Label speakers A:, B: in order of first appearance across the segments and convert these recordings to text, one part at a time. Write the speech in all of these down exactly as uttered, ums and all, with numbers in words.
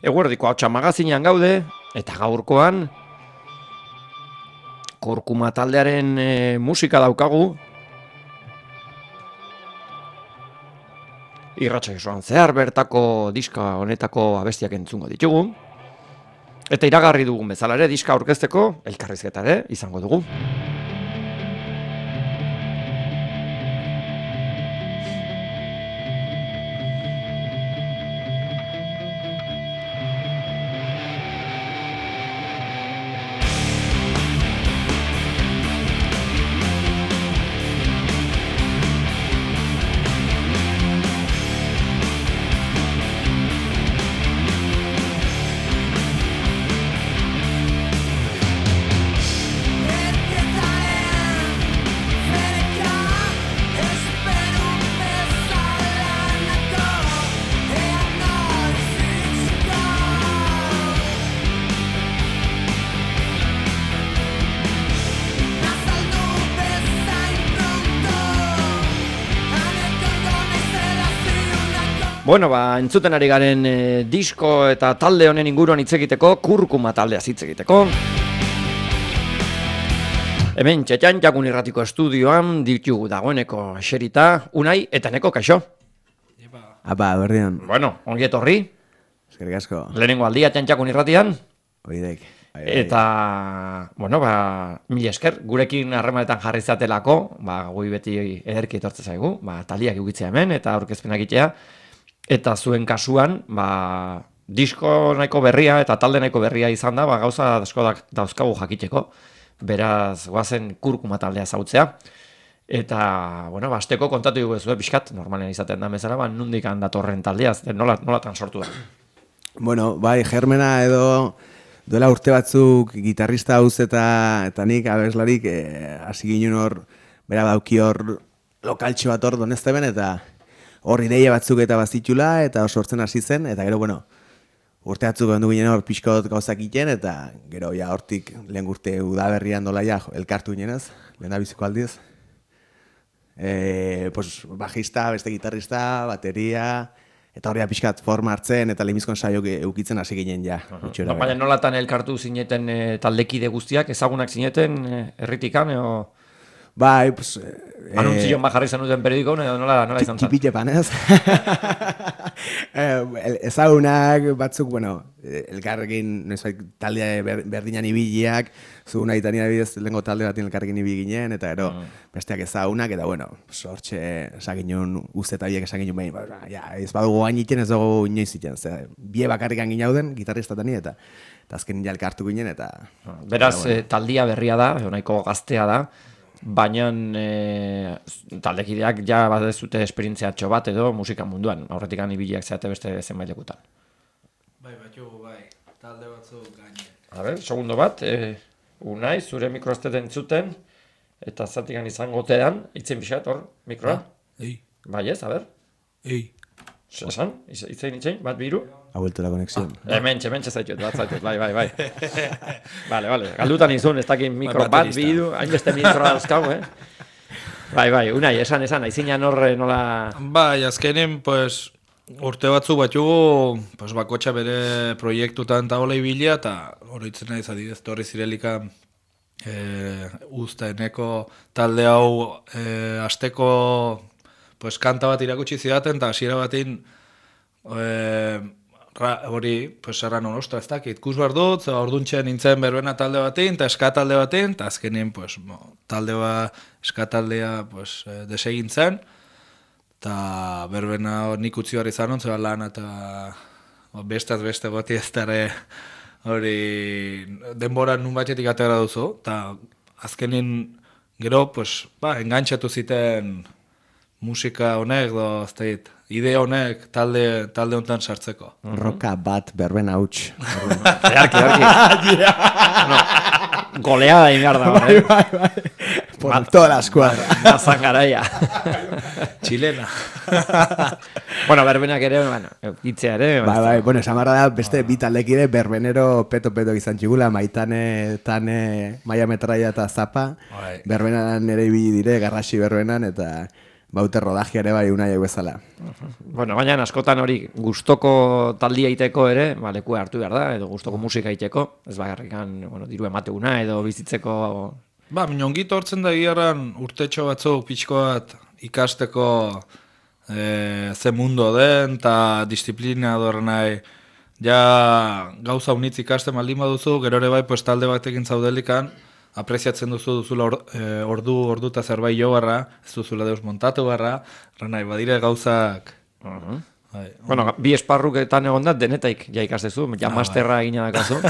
A: Eguerdiko Ahotsa magazinean gaude, eta gaurkoan Kurkuma taldearen e, musika daukagu. Irratsa joan zehar bertako diska honetako abestiak entzungo ditugu. Eta iragarri dugun bezala ere diska aurkezteko elkarrizketa ere izango dugu. Bueno, ba, entzuten ari garen e, disko eta talde honen inguruan hitz egiteko, Kurkuma taldeaz hitz egiteko. Hemen txetxan Jakun Irratiko estudioan ditugu dagoeneko eserita, Unai eta Neko, kaixo?
B: Apa, berdian.
A: Bueno, ongi etorri.
B: Eskerrik asko.
A: Lehenengo aldia Jakun Irratian.
B: Oidek.
A: Eta, bueno, ba, mila esker, gurekin harremanetan jarri zatelako, ba, gui beti ederki etortze zaigu, ba, taliak ukitzea hemen eta aurkezpenak egitea. Eta zuen kasuan, ba, disko nahiko berria eta talde nahiko berria izan da, ba, gauza asko dauzkagu jakiteko. Beraz, goazen Kurkuma taldea zautzea. Eta, bueno, ba, asteko kontatu dugu ezue pixkat, normalen izaten da bezala, ba, nondik datorren taldea, nola, nolatan sortu da.
B: Bueno, bai, Germena edo duela urte batzuk gitarrista hauz eta, eta nik abeslarik hasi eh, ginen hor, bera dauki hor lokaltxo bat hor donezteben eta hor ideia batzuk eta bazitxula, eta hor sortzen hasi zen, eta gero, bueno, urte batzuk ondu ginen hor pixkot gauzak iten, eta gero, ja, hortik lehen urte udaberrian dola, ja, elkartu ginenez, lehen da biziko aldiz. E, pues, bajista, beste gitarrista, bateria, eta hori pixkat forma hartzen, eta lehenbizkon saio eukitzen hasi ginen, ja.
A: Uh-huh. No, baina nolatan elkartu zineten e, taldekide guztiak, ezagunak zineten, e, erritikan, eo...
B: Bai, pues...
A: Eh, Anuntzion bajarri zenuten periodiko, nola, nola izan zen?
B: Tipite panez. Ezagunak batzuk, bueno, elkarrekin, nezbait, taldea berdinan ibiliak, zu nahi tani adibidez lehenko talde batin elkarrekin ibili ginen, eta ero, mm. besteak ezagunak, eta bueno, sortxe esaginun, uste eta biek esaginun behin, ba, ja, ez badugu gain iten, ez dugu inoiz iten, ze, bie bakarrikan ginauden, gitarristatani, eta eta azken ja elkartu ginen, eta...
A: Beraz,
B: eta, bueno.
A: taldia berria da, nahiko gaztea da, baina e, taldekideak ja bat ez dute esperientziatxo bat edo musika munduan, aurretik ibiliak zeate beste zenbait lekutan.
C: Bai, batxugu, bai, talde batzuk gainen.
A: A ber, segundo bat, e, Unai, zure mikro ez dut entzuten, eta zatikan izango tean, itzen bixat, hor, mikroa?
C: Ah, ei.
A: Bai ez, a ber?
C: Ei.
A: Esan, itzein, itzein, bat biru?
B: Ha vuelto la conexión.
A: Ah, hementxe, hementxe zaitut, bat zaitut, bai, bai, bai. Vale, vale, galdutan izun, ez dakit mikro bat, bidu, hainbeste mikro dauzkau, eh? Bai, bai, Unai, esan, esan, aizinan horre nola...
C: Bai, azkenin, pues, urte batzuk batxugu, pues, bakotxa bere proiektutan eta hola ibilia, eta horitzen nahi zadidez, torri zirelika eh, usta eneko talde hau eh, asteko pues, kanta bat irakutsi zidaten, eta hasiera batin eh, hori, pues, erran hon, ostra, ez dakit, ikus behar dut, orduntxean nintzen berbena talde batin, eta eska talde batin, eta azkenien, pues, bo, talde bat, eska taldea, pues, eh, desegin zen, eta berbena nik utzi behar izan hon, zeba lan, eta bo, bestaz beste goti ez dara hori denbora nun batxetik atera duzu, eta azkenin gero, pues, ba, engantxatu ziten musika honek, do, ez dait, idea honek talde, talde honetan sartzeko.
B: Roka bat berbena huts.
A: Earki, earki. No, goleada egin behar da.
B: Bai, bai, bai. Por Ma, toda la escuadra.
A: Mazan garaia.
C: Txilena.
A: Bueno, berbenak ere, bueno, itzea ere.
B: Bai, bai, bueno, esamarra da, beste bi taldekide berbenero peto-peto izan txigula, Maitane, Tane, Maia Metraia eta Zapa. Berbenan ere ibili dire, garrasi berbenan, eta baute rodajiare bai unai bezala.
A: Bueno, baina askotan hori gustoko taldia egiteko ere, ba, lekua hartu behar da, edo gustoko musika egiteko, ez bakarrikan, bueno, diru emateuna edo bizitzeko...
C: Ba, minongit hortzen da giarran urtetxo batzuk pixko bat ikasteko e, ze mundo den, eta disiplina dorren nahi, ja gauza unitz ikasten baldin baduzu, gero ere bai, pues, talde batekin zaudelikan, apreziatzen duzu duzula or, e, ordu, ordu eta zerbait jo barra, ez duzula deus montatu barra, nahi, badire gauzak...
A: Uh-huh.
C: Bai,
A: bueno, bi esparruketan egon da, denetaik ja ikasdezu, ja masterra egina dakazu.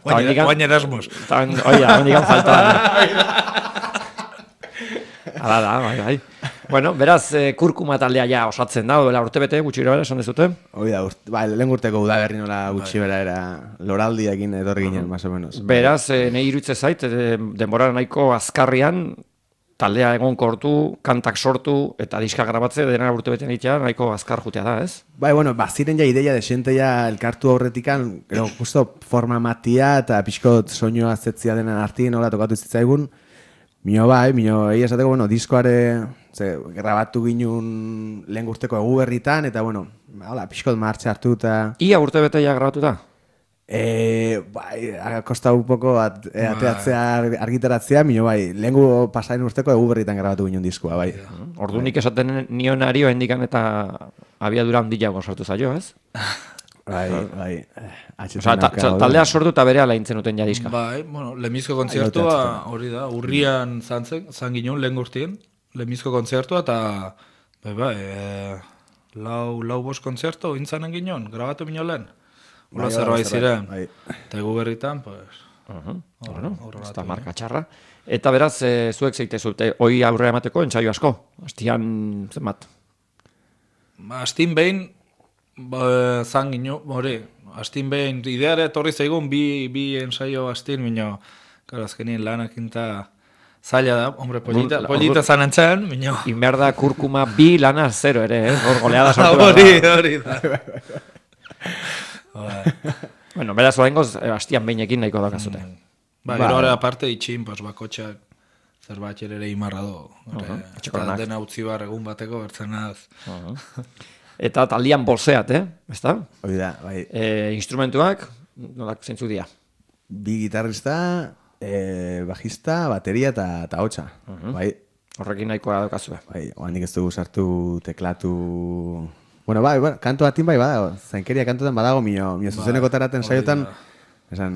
C: Guain Erasmus.
A: Oia, hondikan falta. Hala da, bai, bai. Bueno, beraz, eh, kurkuma taldea ja osatzen da, duela urte bete, gutxi bera, esan dezute?
B: Hoi da, urte, ba, lehen urteko udaberri nola gutxi bera era loraldiakin etorri ginen, más o menos.
A: Beraz, eh, nahi iruditze zait, eh, denbora nahiko azkarrian, taldea egon kortu, kantak sortu, eta diska grabatze, dena urte bete nitea, nahiko azkar jutea da, ez?
B: Bai, bueno, baziren ja ideia desente ja elkartu aurretikan, gero, justo forma matia eta pixkot soinua zetzia denen artien nola tokatu zitzaigun. Mino bai, mino egia esateko, bueno, diskoare, ze, grabatu ginun lehen urteko egu berritan, eta, bueno, hola, pixkot martxe hartu eta...
A: Ia urte bete ja grabatu da?
B: E, bai, kosta un poco at, e, ateatzea, argitaratzea, mino bai, lehengu pasain urteko egu berritan grabatu ginun diskoa, bai.
A: Ordu nik esaten nionario hendikan eta abiadura handiago sortu zaio, ez?
B: Bai, bai.
A: Osa, ta, taldea sortu eta bere ala intzen uten ja diska.
C: Bai, bueno, lemizko kontzertua hori da, urrian zantzen, zan ginen lehen gurtien, lemizko kontzertua eta, bai, bai, e, lau, lau bost kontzertu intzanen ginen, grabatu mino lehen. Hola bai, zerbait ziren, eta egu berritan, pues...
A: Uh-huh. Bueno, ez da marka txarra. Eta beraz, e, zuek zeite zute, hoi aurrera emateko entzaio asko? Astian, zenbat?
C: Astin behin, ba, zan gino, hori, astin behin, ideare etorri zaigun, bi, bi ensaio astin, minio, karo, azkenien lanakin eta zaila da, hombre, polita, polita zan entzaren, minio.
A: Inberda kurkuma bi lana zero ere, eh? Hor goleada sortu da.
C: Hori, hori da.
A: Bueno, beraz oraingoz astian behinekin nahiko dakazute.
C: Mm. Ba, gero hori aparte itxin, pues, bakotxak zerbait ere imarra do.
A: Uh-huh.
C: Eta dena utzi bar egun bateko bertzen naz.
A: Uh-huh. Eta taldian bozeat, eh? Ezta?
B: Hoi da, bai.
A: E, instrumentuak, nolak zeintzuk dira?
B: Bi gitarrista, e, bajista, bateria eta, eta hotxa. Uh-huh. Bai.
A: Horrekin nahikoa daukazue.
B: Bai, oandik ez dugu sartu teklatu... Bueno, bai, bueno, kanto batin bai badago, zainkeria kantotan badago, mio, mio zuzeneko taraten saiotan, esan,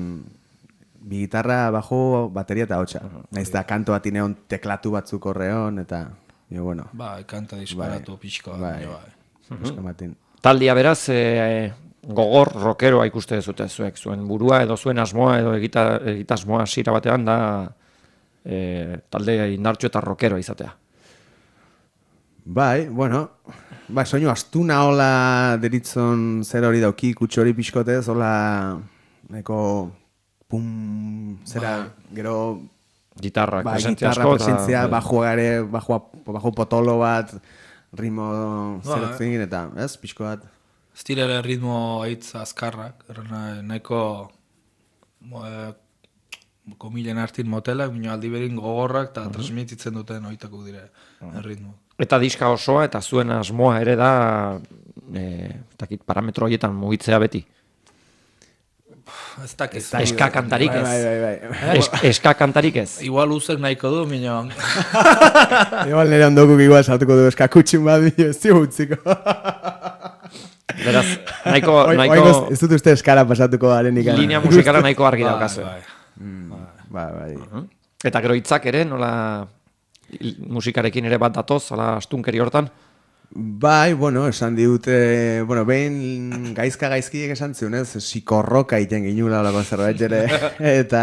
B: bi gitarra, bajo, bateria eta hotxa. Uh-huh. Naiz da, kanto batin egon teklatu batzuk horreon, eta, mio, bueno.
C: Bai, kanta disparatu bai, pixkoa. Bai, bai.
B: Uh-huh.
A: Taldia beraz, e, gogor, rockeroa ikuste zute zuek, zuen burua edo zuen asmoa edo egita, egitasmoa sira batean da e, talde indartxo eta rockeroa izatea.
B: Bai, bueno, bai, soinu astuna hola deritzon zer hori dauki, kutsu hori pixkotez, hola, neko, pum, zera, bai. Gero...
A: Gitarra,
B: ba,
A: presentzia
B: gitarra,
A: asko.
B: presentzia,
A: Ta,
B: bajo gare, bajo, bajo potolo bat, ritmo
C: ba,
B: zerotzin, eta, ez, pixko bat.
C: Ez direla ritmo aitz azkarrak, nahiko eh, komilen hartin motelak, minio aldi berin gogorrak eta uh-huh. transmititzen duten oitako dire uh-huh. ritmo.
A: Eta diska osoa eta zuen asmoa ere da e, takit, parametro horietan mugitzea beti.
C: Ez dakit.
A: Eska kantarik ez.
B: Bai, bai, bai.
A: Es, eska kantarik ez.
C: Igual uzek nahiko du, minio.
B: Igual nire ondokuk igual sartuko du eska kutxin bat, minio, ez zibutziko.
A: Beraz, nahiko... nahiko
B: Oingoz, ez dut uste eskara pasatuko arenik.
A: Linea musikala nahiko argi daukazu.
B: Bai, bai. bai.
A: Uh-huh. Eta gero hitzak ere, nola musikarekin ere bat datoz, ala astunkeri hortan?
B: Bai, bueno, esan digute, bueno, behin gaizka gaizkiek esan zion, ez, psikorroka iten ginula olako zerbait ere, eta,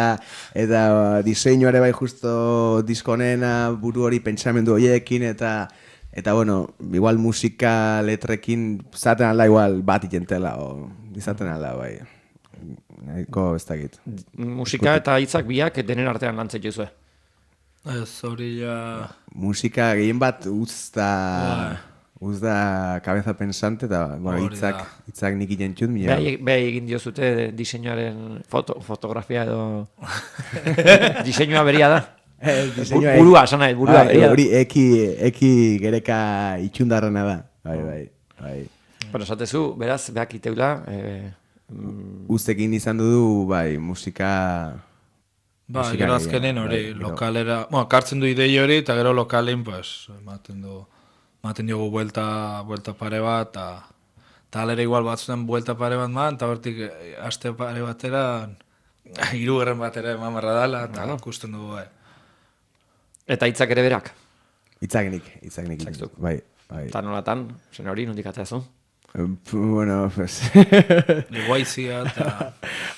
B: eta diseinuare bai justo diskonena buru hori pentsamendu horiekin, eta, eta bueno, igual musika letrekin zaten alda igual bat itentela, o izaten alda, bai. Nahiko ez dakit.
A: Musika eta hitzak biak denen artean lantzek jozue?
C: Ez, hori ja...
B: Musika gehien bat uzta... Uz da cabeza pensante eta bueno, hitzak hitzak nik igentxut mila.
A: Bai, bai egin diozute diseinuaren foto, fotografia edo diseinua beria da.
B: Ez, diseinua
A: Burua, esan nahi, burua.
B: Bai,
A: egia.
B: hori eki, eki gereka itxundarrena da. Bai, bai, bai.
A: Bueno, esatezu, beraz, behak iteula, eh, mm,
B: Ustekin izan du, bai, musika...
C: Ba,
B: musika
C: gero
B: gehiago,
C: azkenen hori,
B: bai, gero.
C: lokalera, bueno, kartzen du idei hori, eta gero lokalein, pues, ematen du, ematen diogu buelta, buelta pare bat, eta eta alera igual batzutan buelta pare bat man, eta hortik eh, aste pare batera, hirugarren batera eman barra dala, eta ikusten dugu, bai.
A: eta hitzak ere berak.
B: Itzagenik, itzagenik.
A: Itzakzuk.
B: Bai, bai.
A: Eta nolatan, zen hori, nondik atzeazu?
B: Eh, Bueno, pues...
C: Leguaizia, eta...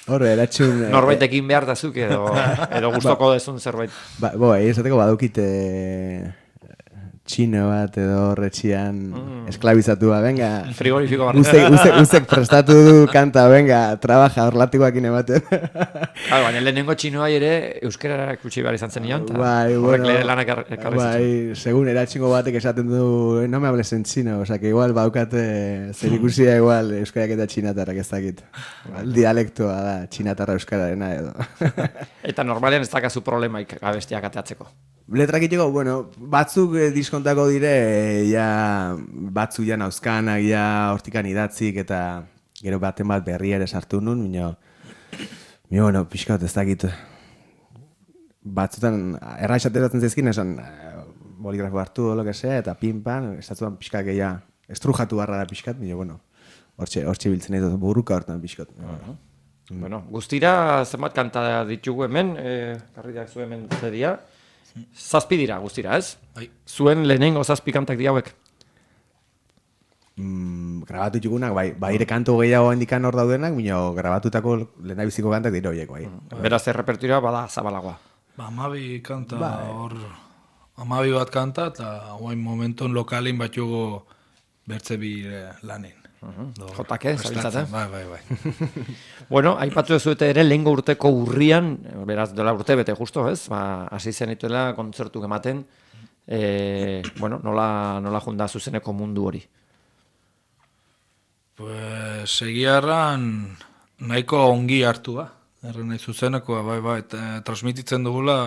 B: Horre, eratxun... eh,
A: Norbaitekin behar dazuk edo, edo gustoko dezun zerbait.
B: Ba, bo, esateko badukite txino bat edo horretxian
A: Mm.
B: esklabizatua, venga.
A: Frigorifiko bat.
B: Uzek, uzek, uzek prestatu du kanta, venga, trabaja, horlatikoakin ematen.
A: Claro, baina lehenengo txinoai ere euskarara ikutsi behar izan zen nion, eta
B: Bai,
A: horrek
B: bueno,
A: lehen lanak er- ekarri zituen.
B: bai, segun eratxingo batek esaten du, "Eh, no me hables en chino, o sea, que igual baukate zer ikusia igual euskarak eta txinatarrak ez dakit. Igual dialektoa da, txinatarra euskararena edo.
A: Eta normalean ez dakazu problemaik abestiak ateatzeko.
B: Letrak itxeko, bueno, batzuk eh, diskontako dire, eh, ja, batzu ja nauzkanak, ja hortikan idatzik, eta gero baten bat berri ere sartu nun, mino, mino, bueno, pixkat ez dakit, batzutan, erra esateratzen zezkin, esan, eh, boligrafo hartu, lo que sea, eta pinpan, estatuan pixkat gehiago, estrujatu barra da pixkat, mino, bueno, hortxe, hortxe biltzen ez burruka hortan pixkat. Bueno.
A: Bueno, guztira zenbat kanta ditugu hemen, eh, karriak zu hemen zedia. Zazpi dira guztira, ez?
C: Bai.
A: Zuen lehenengo zazpi kantak di hauek.
B: Mm, grabatu txugunak, bai, baire kantu gehiago handikan hor daudenak, mino, grabatutako lehendabiziko kantak dira horiek, bai.
A: Beraz errepertorioa bada zabalagoa.
C: Ba, amabi kanta,
B: Bai.
C: hor, amabi bat kanta, eta guain momenton lokalin bat jugo bertze bi eh, lanin. Do,
A: Jotake, zabiltzate?
C: Bai, bai, bai.
A: Bueno, aipatu ezuete ere lehengo urteko urrian, beraz dola urte bete justo, ez? Ba, hasi zenituela kontzertuk ematen, e, bueno, nola, nola junda zuzeneko mundu hori.
C: Pues, segiarran nahiko ongi hartua. Erren nahi zuzenekoa, bai, bai, eta transmititzen dugula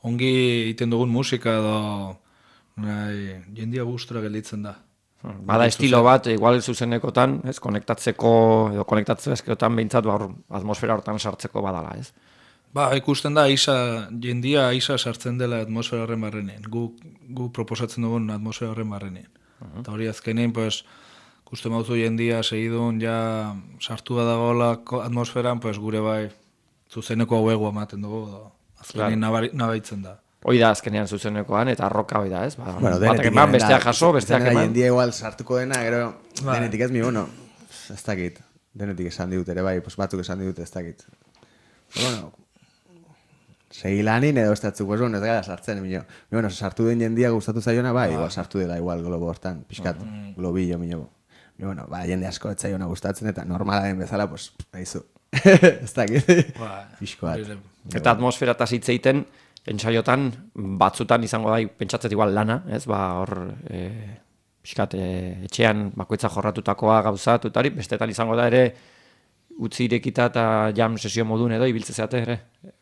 C: ongi egiten dugun musika edo nahi, jendia gustura gelditzen da.
A: Bada estilo bat, igual zuzenekotan, ez, konektatzeko, edo konektatzezkotan behintzat ba, hor, atmosfera hortan sartzeko badala, ez?
C: Ba, ikusten da, isa, jendia isa sartzen dela atmosfera horren barrenean. Gu, gu proposatzen dugun atmosfera horren barrenean. Eta hori azkenein, pues, ikusten bauzu jendia segidun, ja sartua dagoela ko- atmosferan, pues, gure bai zuzeneko hauego ematen dugu, edo azkenein nabari- nabaitzen da.
A: Hoi da azkenean zuzenekoan, eta arroka hoi da, ez? Ba,
B: Bueno,
A: batak
B: denetik
A: eman,
B: da,
A: besteak jaso, besteak
B: denera
A: eman.
B: jendia igual sartuko dena, gero
C: Bai.
B: denetik ez mi, bueno, ez dakit, denetik esan ditut ere bai, pues batzuk esan ditut ez dakit. Bueno, segi lanin edo ez datzuk, pues bueno, ez gara sartzen, mino. Bueno, sartu den jendia gustatu zaiona, bai, igual sartu dela igual globo hortan, pixkat, globillo, mino. Bueno, ba, jende asko ez zaiona gustatzen, eta normala den bezala, pues, nahizu, ez dakit,
C: Ba,
B: pixko bat.
C: hori-
A: Eta atmosfera eta zitzeiten, entsaiotan, batzutan izango da, pentsatzet igual lana, ez? Ba, hor, e, pixkat, e, etxean bakoitza jorratutakoa gauzatu, eta hori, bestetan izango da ere, utzi irekita eta jam sesio modun edo, ibiltze zeate ere,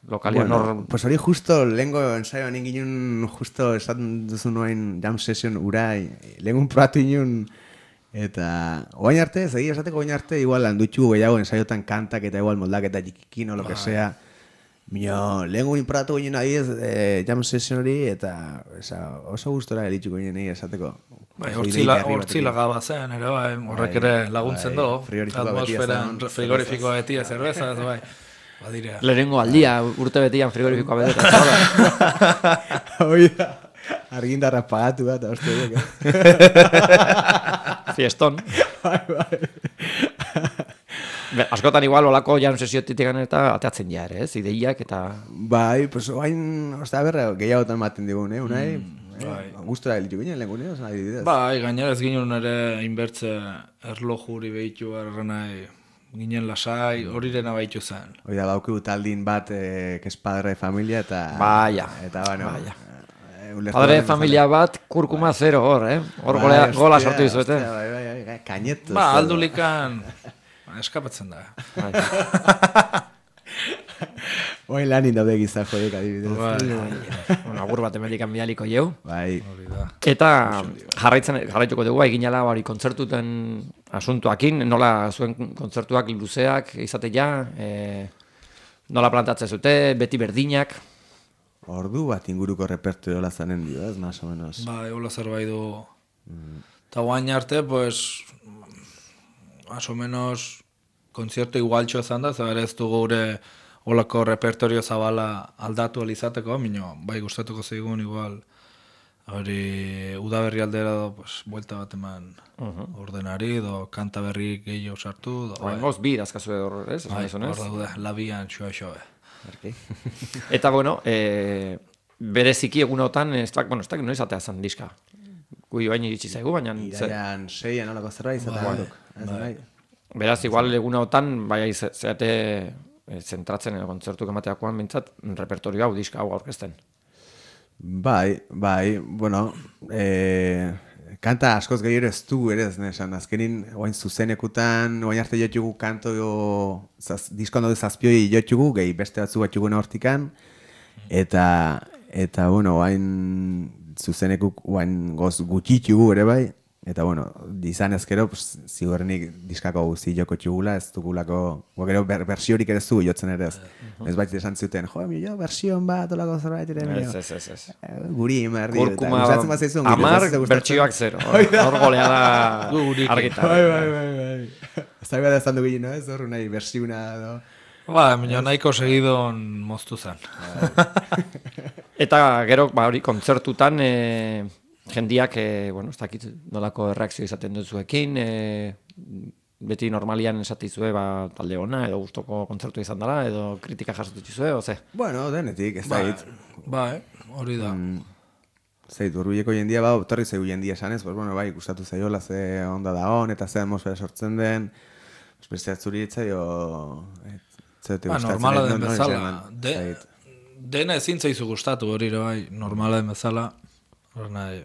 A: lokalian
B: Bueno,
A: hor...
B: pues hori justo lehengo ensaioan ingin justo esaten duzu nuen jam session urai, lehengun probatu inun, eta oain arte, zegi esateko oain arte, igual handutxu gehiago ensaiotan kantak eta igual moldaketa jikikin o lo que sea. Mino, lehengun inprobatu ginen adiez eh, jam session hori, eta esa, oso gustora elitxuko ginen esateko.
C: Bai,
B: Oso
C: hortzila,
B: ideia herri
C: hortzila
B: batekin.
C: gaba zen, ere bai, horrek
B: Bai,
C: ere laguntzen
B: bai,
C: du.
B: frigorifikoa betia
C: Atmosferan,
B: zen,
C: frigorifikoa betia, zerbeza, ez bai. Badira.
A: Lehenengo aldia, urte betian frigorifikoa beteta. Hola.
B: Hoi da, argindarra pagatu bat, oste duk, eh?
A: Fieston.
B: Bai, bai.
A: Be, askotan igual olako jan sesiotitik eta ateatzen ja ere, ez? Ideiak eta...
B: Bai, pues oain, osta berra, gehiagotan maten digun, eh, unai?
C: bai.
B: Gustora elitu ginen, lehen gune, osan adibidez.
C: Bai, gainera ez ginen ere inbertze erlojuri behitu nahi ginen lasai, hori dena behitu zen.
B: Hoi da, baukigu taldin bat, eh, que es padre de familia, eta...
A: Baia,
B: Eta, bueno...
A: baia.
B: eh, ulertu
A: Padre de
B: den
A: familia bat, kurkuma zero hor, eh? Hor
B: bezala.
A: gola,
B: Bai,
A: gola
B: hostia,
A: sortu dizuete.
B: hostia, Bai, bai, bai, kainetu.
C: Ba, aldulikan, ba, eskapatzen da.
A: Bai.
B: Oin lanin daude giza joiek adibidez.
A: Bueno, agur bat emelikan bidaliko jau.
B: Bai.
A: Eta jarraitzen jarraituko dugu eginala hori kontzertuten asuntuakin, nola zuen kontzertuak luzeak izatea, e, nola plantatzen zute, beti berdinak.
B: Ordu bat inguruko repertorioa zanen dio, ez, más o menos.
C: Bai, hola zerbait du. Eta guain arte, pues, más o menos, konzertu igualtxo ezan da, zer ez du gure holako repertorio zabala aldatu alizateko, minio, bai gustatuko zeigun igual, hori udaberri aldera do, pues, buelta bat eman ordenari, do kanta berri gehiago sartu, do, bai,
A: Oengoz bi dazkazu hor, ez?
C: bai,
A: Esan duzunez?
C: hor daude, labian xua xoe.
A: Eta bueno, e, bereziki egunotan, ez da, bueno, ez da, noiz atea zan diska. Gui bain iritsi zaigu, baina... zer-
B: Iraian seian olako zerbait izatea
C: Bai,
B: guk. Ez bai.
A: Beraz, igual egunotan, bai, ze- zeate e, zentratzen edo kontzertuk emateakoan bintzat, repertorio hau, diska hau aurkezten.
B: Bai, bai, bueno, e, kanta askoz gehiago ez du ere ez nesan, azkenin oain zuzenekutan, oain arte jotugu kanto jo, zaz, diskondo zazpioi jotugu, gehi beste batzu batzugu hortikan, eta, eta, bueno, oain zuzenekuk oain goz gutxitugu ere bai, eta, bueno, izan ezkero, pues, zigorrenik diskako guzi joko txugula, ez dugulako, gero ber, bersiorik ere zu jotzen ere ez. Ez bait esan zuten, jo, mi jo, bersion bat, olako zerbait ere,
A: Ez, ez, ez, ez.
B: guri emerdi.
A: Kurkuma, amar, bertsioak zero. Hor golea da argita.
B: Bai, bai, bai, bai. Ez da behar ezan dugu, no? Ez horru nahi, bersiuna, no?
C: Ba, minio nahiko segidon moztu zen.
A: Eta gero, ba, hori, kontzertutan, e, jendiak, e, bueno, ez dakit nolako erreakzio izaten duzuekin, e, beti normalian esatizue, ba, talde ona, edo gustoko kontzertu izan dela, edo kritika jasatu dituzue, oze?
B: Bueno, denetik, ez da hit.
C: Bai, hori da.
B: Zeit, urbileko jendia, ba, torri zaigu jendia esanez, pues, bueno, bai, gustatu zaiola ze onda da on, eta ze atmosfera sortzen den, beste atzuri etzaio,
C: Ba, normala den bezala. De, dena ezin zaizu gustatu hori ere bai, normala den bezala. Hor nahi.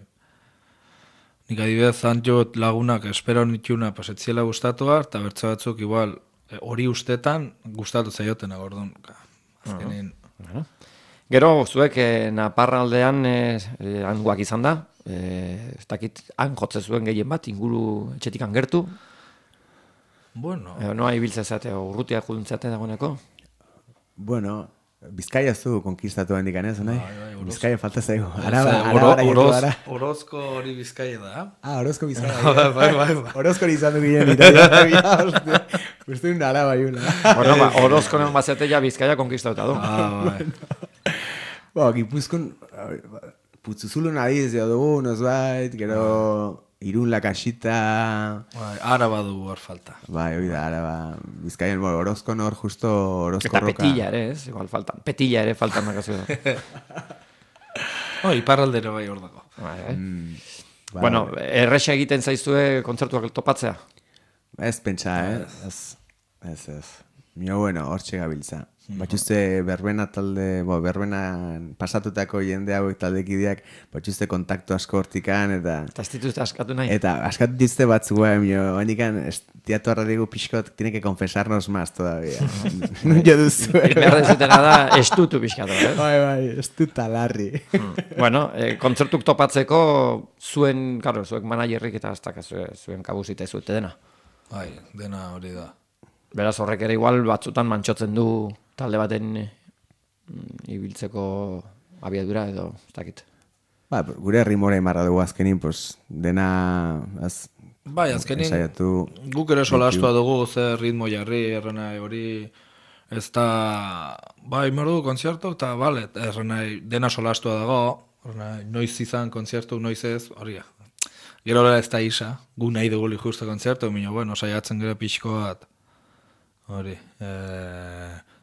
C: Nik adibidez zantjot lagunak espero nituna pasetziela gustatua, eta bertze batzuk igual hori ustetan gustatu zaioten agordun. Azkenin.
A: Uh-huh. Gero, zuek eh, Naparraldean eh, eh, hangoak izan da, eh, ez dakit han jotze zuen gehien bat, inguru etxetik gertu,
C: Bueno.
A: edo noa ibiltze zate, urrutia juduntzeate dagoeneko.
B: Bueno, Bizkaia zu konkistatu handik anez, nahi?
C: Bai, bai, Orozko.
B: Bizkaia falta zaigu.
C: Ez,
B: Araba,
C: eh,
B: araba,
C: oro-
B: oro,
C: oroz- Orozko hori Bizkaia da.
B: Ah, Orozko Bizkaia.
C: Bai, bai, bai, bai.
B: Orozko izan du ginen, Italia, hostia. Uste un araba iula.
A: Bueno, ba, Orozkonen bazete ja Bizkaia konkistatuta du.
C: Ah, bai.
B: Ba, Gipuzkoan, putzuzulun adiz jo dugu, nozbait, gero Irun lakasita,
C: Bai, araba dugu hor falta.
B: bai, hori da, araba, Bizkaian, bueno, Orozkon hor justo Orozko
A: Eta
B: roka.
A: petilla ere, ez? Igual faltan. Petilla ere faltan nakazu da.
C: Oh, iparraldero bai hor dago.
A: Bai, bai.
B: Mm, ba,
A: Bueno, erresa egiten zaizue kontzertuak topatzea?
B: Ez pentsa, eh? Ez, ez, ez. Mio, bueno, hortxe gabiltza. Batxuzte berbena talde, bo, berbena pasatutako jende hauek taldekideak, batxuzte kontaktu asko hortikan, eta...
A: Eta ez dituzte askatu nahi?
B: Eta askatu dituzte batzu, eh, mio, handikan, teatu arradigu pixkot, tiene que confesarnos más todavía. Nun jo duzu, eh?
A: Behar dezutena da estutu pixkatu, eh?
B: Bai, bai, ez du talarri.
A: Bueno, eh, kontzertuk topatzeko zuen, karo, zuek managerrik eta ez dakazue zuen kabuzita zuete dena.
C: Bai, dena hori da.
A: Beraz horrek ere igual batzutan mantxotzen du talde baten mm, ibiltzeko abiadura edo ez dakit.
B: Ba, gure rimora emarra dugu azkenin, pues, dena... Az,
C: Bai, azkenin,
B: ensaiatu,
C: guk ere solastua dugu ze ritmo jarri, errena hori, ez da, bai, merdu konzertu, eta bale, errena dena solastua dago, errena noiz izan konzertu, noiz ez, hori. Gero ez da isa, gu nahi dugu justo konzertu, minio, bueno, saiatzen gero pixko bat, hori, e,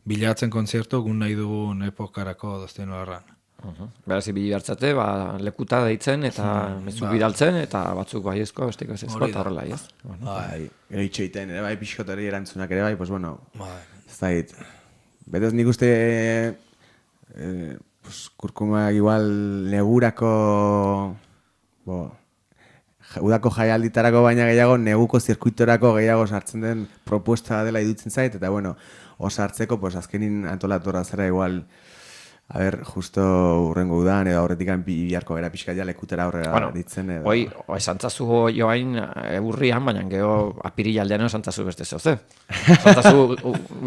C: bilatzen konzertu, gu nahi dugun epokarako doztien horran.
A: Uh-huh. Beraz ibili hartzate, ba, lekuta deitzen eta mezuk bidaltzen eta batzuk baiezko, besteko ez ezko, eta horrela, ez? Bueno.
B: bai, eitxeiten, ere bai, pixkotari erantzunak ere bai, pues bueno,
C: Bai.
B: ez da hit. Betez nik uste, eh, pues, kurkumak igual negurako, bo, udako jaialditarako baina gehiago neguko zirkuitorako gehiago sartzen den propuesta dela idutzen zait, eta bueno, osartzeko, pues azkenin antolatorra zera igual, a ber, justo urrengo udan, edo aurretikan biharko gara pixka ja lekutera aurrera
A: bueno,
B: ditzen. Edo...
A: Hoi, esantzazu joain eburrian, baina gero apirilaldean esantzazu beste zeuze. Esantzazu